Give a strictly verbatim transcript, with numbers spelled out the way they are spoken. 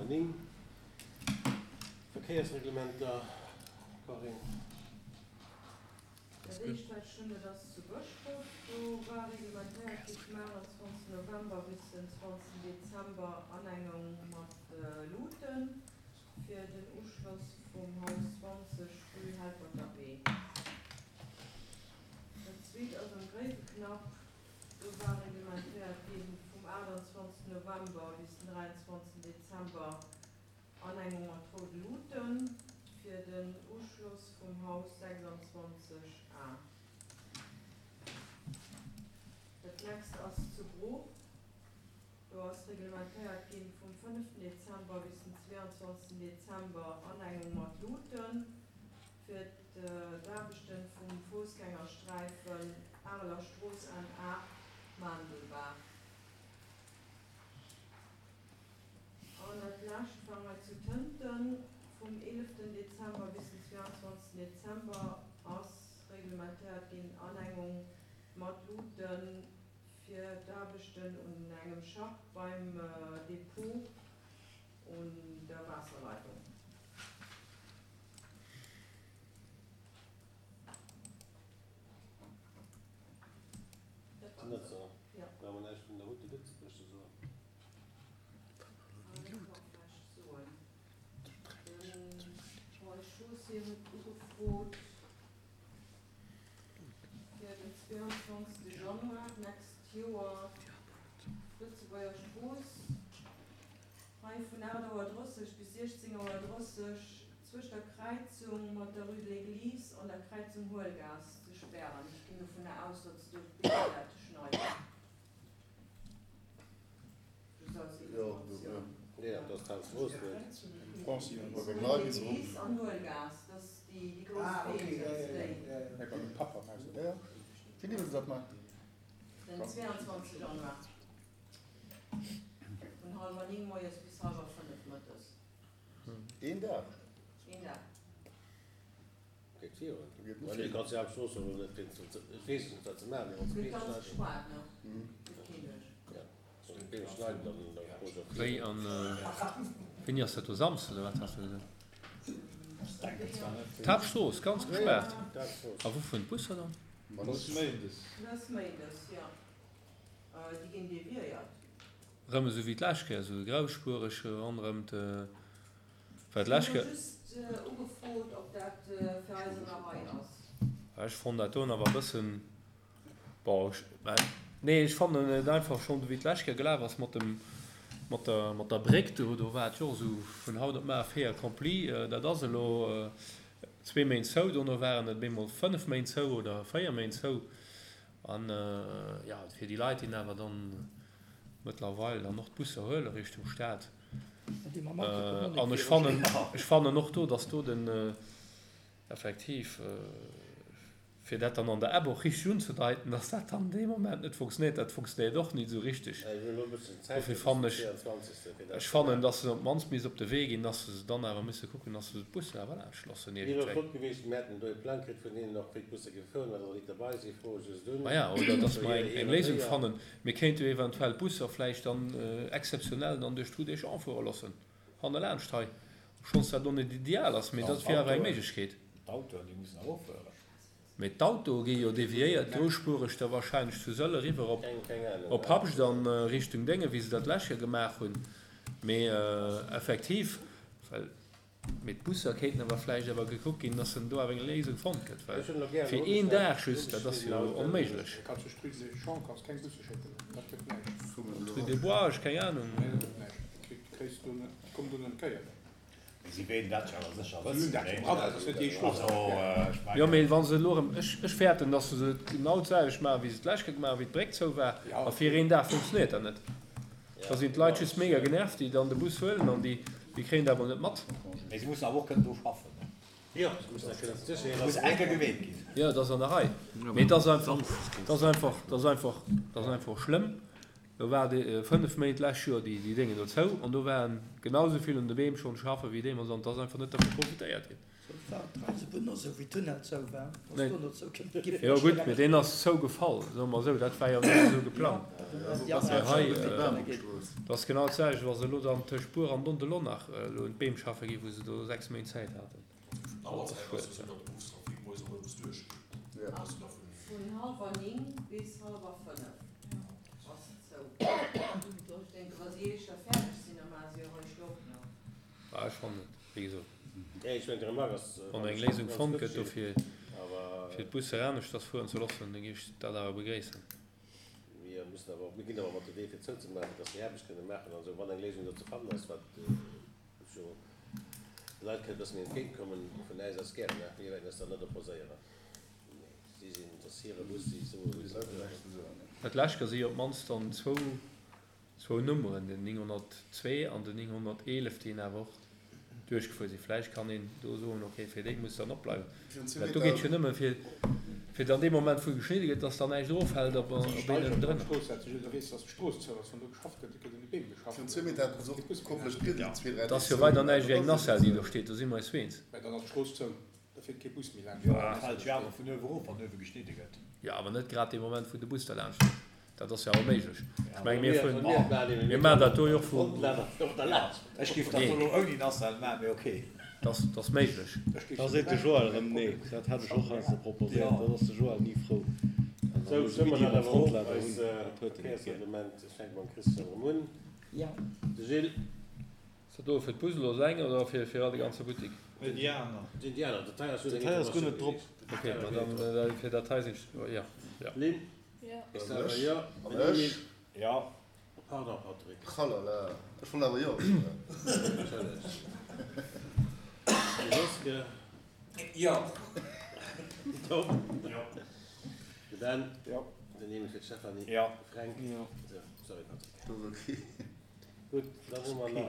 Néng, Verkéiersreglementer, Corinne. Dat éischt, wat ech hunn, dat ass zu Bëschdref. Do war reglementéiert gi vum aachtundzwanzegsten November bis den zwanzegsten Dezember Anengung mat Luuten fir den Uschloss vum Haus zwanzeg, rue Helperter Wee. Dat zweet ass am Gréiweknapp. Do war reglementéiert gi vum aachtundzwanzegsten November bis den dräiandzwanzegsten Dezember Anengung mat roude Luuten fir den Uschloss vum Haus sechsundzwanzeg A. Dat nächst ass zu Bruch. Do ass reglementéiert gi vum fënneften Dezember bis den zweeandzwanzegsten Dezember Anengung mat Luuten fir d'Aarbechten vum Foussgängersträifen Areler Strooss N aacht, Maandelbaach. An dat lescht war hei zu Tënten. Vum eeleften Dezember bis den zweeandzwanzegsten Dezember ass reglementéiert ginn Anengung mat Luuten fir d'Aarbechten un engem Schacht beim Depot un der Waasserleitung. Dat Sinn dat se? Ja. Brauche mer näischt vun der Route de Lëtzebuerg ze soen? Ah, dat kann ech vläicht soen. De Roy Chaussé huet ugefrot fir den zweeandzwanzegste Januar d'nächst Joer d'Lëtzebuerger Strooss hei vun aacht Auer drësseg bis siechzéng Auer drësseg zwëscht der Kräizung mat der Rue de l'Église an der Kräizung Huelgaass ze spären. Ech ginn dovunner aus, datt se do d'Beem wäerte schneiden. Just als Informatioun. Ja, dat ass d'Haaptstrooss net. Rue de l'Église an Huelgaass, dat ass déi déi grouss Beem, dat ass déi. Den zweeandzwanzegste Januar vun hallwer néng moies bis hallwer fënnef mëttes. Een Dag? Een Dag. Geet virun. Mä nee, kanns déi Haaptstrooss jo elo net wéinst dem, ech weess et net, wat se maachen, mee wann se Gëtt Beem ganz schneiden. gespaart, ne? Gëtt keen duerch. Ja, wann se Beem schneiden, dann da goe se och Wéi virun. an wéini ass dat do? Samsden oder wat has de gesot? D'Haaptstrooss ganz gespaart. D'Haaptstrooss. A wou fueren d'Busser dann? Dat ass méindes. Dat ass méindes, jo. Déi ginn deviéiert. Rëm esou wéi d'lescht Kéier, esou grauspuereg ronderëm de, well Ech d'lescht hunn elo Kéier. just ugefrot, ob dat fir eis an der Rei ass. Ech fonnt dat doen awer e bëssen, bon, ech, mä nee, ech fannen et einfach schonn, wéi d'lescht Kéier gelaf ass mat dem, mat der, mat der Bréck do, do war et jo och esou vun haut op mar fait accompli, dat ass elo zwee Méint zou, dono waren et bemol fënnef Méint zou oder véier Méint zou. An, jo, fir déi Leit, déi awer dann mëttlerweil dann och d'Busser huele Richtung Stad. An ech fannen, ech fannen och do, dass do den effektiv, fir dat dann an der App och richteg unzedeiten, dass dat dann dee Moment net funktionéiert, dat funktionéiert och nit esou richteg. Ech hunn elo e bëssen Zäit Dofir fir bis fannen den ech, véierundzwanzegste fir dat ech ze fannen, maachen. dass se op d'mannst misst op de Wee ginn, dass se dann awer misse kucken, dass se d'Busser awer laanscht loossen Wier elo iergendwéi. flott gewiescht, mir hätten do e Plang kritt vun hinnen och, wéi d'Busse gefueren, well der nit derbei sinn, froe ech just un. Maja, oder dass Sou mer hir eng eng hir Léisung Réier. fannen. Mir kéinte jo eventuell d'Busser vläicht dann exzeptionell dann duerch d'Rue des Champs fuere loossen, hannerlaanscht hei, obschonns dat elo net ideal ass, mee An dat wier awer eng d'Autoen, Méiglechkeet. d'Autoen, déi mussen awer och fueren. Mee d'Autoe gi jo deviéiert grousspuereg da wahrscheinlech zu Sëll eriwwer op Keng keng Ahnung, op ja. Habscht an Richtung Dénge wéi se dat d'lescht Joer gemaach hunn. Mee effektiv, well, mee d'Busser kéinten awer vläicht awer gekuckt ginn, dass en do awer eng Léisung fonnt gëtt, well Ech hunn elo gären fir een Dag nogeschnat, just, dat ass nogeschnidden jo Autoen. onméiglech. Kanns du d'Rue des Champs kanns keng Busse schécken, dat gëtt näischt. D'Rue des Bois, ech keng Ahnung. Nee, dat gëtt näischt. Kriss du net, komm du net kéier. Mee si wéilten dat jo awer sécher Si hunn wëssen, dat nee? jo dran, dat ass net déi Strooss. Also, ech Jo, mengen. mee wa se elo erëm, ech, ech fäerten, datt se et genau d'selwecht maachen, wéi se d'lescht Kéier gemaach hunn, wéi d'Bréck zou war, Ja. a fir een Dag funktionéiert dat net. Ja, Da sinn d'Leit genau, just ech, mega genervt, déi dann de Bus huelen an déi, déi kréien dat emol net mat. Mee si mussen awer och kënnen do schaffen, ne? Jo, se mussen dat kënnen Et sécher muss eng Kéier geweet ginn. Jo, et ass an der Rei. Mee et ass einfach, et ass einfach, et ass einfach, et ass einfach schlëmm. Do war déi fënnef Méint d'lescht Joer déi, déi Déngen do zou an do waren genau esou vill un de Beem schonn schaffen wéi deemools an et ass einfach net dervu profitéiert ginn. War d'Eisebunn och sou, wéi Tunnel zou war, ass do no zou gi. Jo gutt, mee deen ass zougefall, soe mer esou, dat war jo net esou geplangt. Mee hei, dat ass genau d'selwecht, wa se elo dann tëscht Buer an Dondelon nach elo un d'Beem schaffe ginn, wou se do sechs Méint Zäit haten. Dat ass schued. Vun hallwer néng bis hallwer fënnef ass et zou. Ech denken, wa si éischter fäerdeg sinn, da maache si eréischt och nach. Ah, ech fannen et, wéi gesot, wann eng Léisung fonnt gëtt dofir, fir d'Busser aneschters fueren ze loossen, da géif ech dat awer begréissen. Mir mussen awer, mir ginn awer mat de Wee fir zouzemaachen, dass mir Aarbecht kënne maachen an esou, wann eng Léisung do ze fannen ass, wat jo de Leit kënnt e bësse méi entgéintkommen, vun äis aus gären, mä mir wäerten eis dann net opposéieren. Mee si sinn, et ass hire Bus, si soe wéi se wëllen. Dat lescht si jo op d'mannst dann zwou, zwou Nummeren, den nénghonnertzwee an den nénghonnerteelef, déi een awer och duerchgefuer sinn. Vläicht kann een do soen, okay, fir déi muss dann opbleiwen. Mä do geet et jo nëmme fir, fir dann dee Moment, wou geschnidde gëtt, dass dann näischt eroffält op een drënner. Et ass jo weider näischt wéi eng Nacelle, déi do steet, do si mer eis eens. Jo, awer net grad dee Moment, wou de Bus derlaanscht fiert. Dat ass jo awer méiglech. Ech menge mir fueren, mir maachen dat do jo och vu. Ech géif dat do elo ouni Nacelle maachen, mee okay. Dat ass méiglech. Da seet de Joël erëm nee. Dat hat ech och heiansdo proposéiert. Dann ass de Joël ni frou. An dann Sou, muss stëmme e mer Midi dat mam awer of, Frontlader eis hunn. Dat huet en net gär. Verkéiersreglement. Ech fänke mam Christian erëm un. De Gilles. Ass dat do fir d'Bus elo eleng oder fir fir all de ganze Buttik? Nee, déi aner. Déi aner, dat hei ass just Dat eng hei ass guer Informatioun net drop. gewiescht. Okay, ma dann fir dat hei sinn ech, jo, jo. Lynn? Jo. Ech soen awer jo. An Den ech? Emile? Jo. Pardon, Patrick. Tralala, ech wollt awer jo soen. Entschëllegt. De Joske? Jo. Den Tom? Jo. De Ben? Jo. Den Emile fir d'Stéphanie? Jo. De Fränk? Jo. Sou, sorry Patrick. Dat ass okay. Gutt, dann hu mer nach eng.